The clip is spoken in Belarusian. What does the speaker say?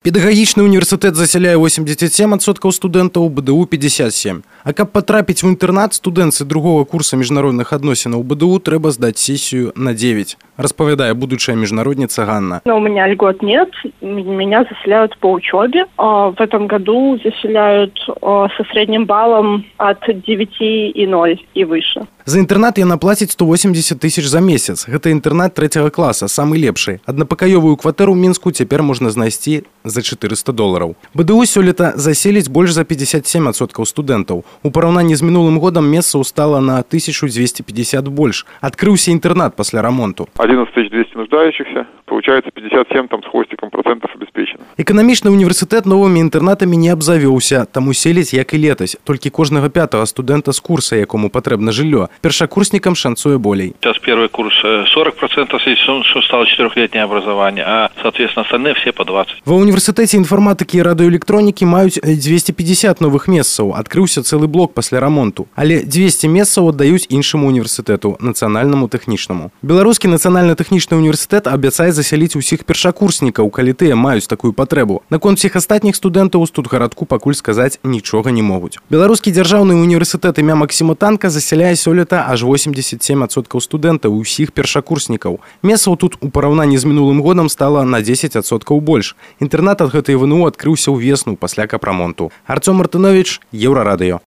Педагагічны універсітэт засяляе 87% студэнтаў, БДУ 57%. А каб патрапіць у інтэрнат, студэнцы другого курса міжнародных адносінаў БДУ трэба здаць сессию на 9, распавядае будучая международница Ганна. Но у меня льгот нет, меня заселяют по учебе. В этом году заселяют со средним баллом от 9,0 и выше. За інтэрнат яна плаціць 180 тысяч за месяц. Гэта інтэрнат 3 класа, самы лепшы. Аднапакаёвую кватэру ў Мінску цяпер можна знайсці за $400. БДУ сёлета заселіць больш за 57% студэнтаў. У параўнанні з мінулым годам месцаў стала на 1250 больш. Адкрыўся інтэрнат пасля рамонту. 11200 нуждающихся, получается 57 там с хвостиком процентов обеспечено. Эканамічны універсітэт новымі інтэрнатамі не абзавёўся, таму селіць як і летась. Толькі кожнага 5-го студэнта з курса, якому патрэбна жыллё. Першакурснікам шанцуе болей. Сейчас первый курс 40%, что стало 4-летнее образование, а, соответственно, остальные все по 20%. Ва універсітэце інфарматыкі і радыёэлектронікі маюць 250 новых месцаў. Адкрыўся цэлы блок пасля рамонту. Але 200 месцаў аддаюць іншаму універсітэту, нацыянальнаму тэхнічнаму. Беларускі нацыянальна-тэхнічны універсітэт абяцае засяліць усіх першакурснікаў, калі тыя маюць такую патрэбу. Наконт усіх астатніх студэнтаў у студгарадку пакуль сказаць нічога не могуць. Беларускі дзяржаўны універсітэт імя Максіма Танка засяляе сёлета аж 87% студэнтаў і ўсіх першакурснікаў. Месцаў тут у параўнанні з мінулым годам стала на 10% больш. Інтэрнат ад гэтай ВНУ адкрыўся ўвесну пасля капрамонту. Арцём Мартынович, Еўрарадыё.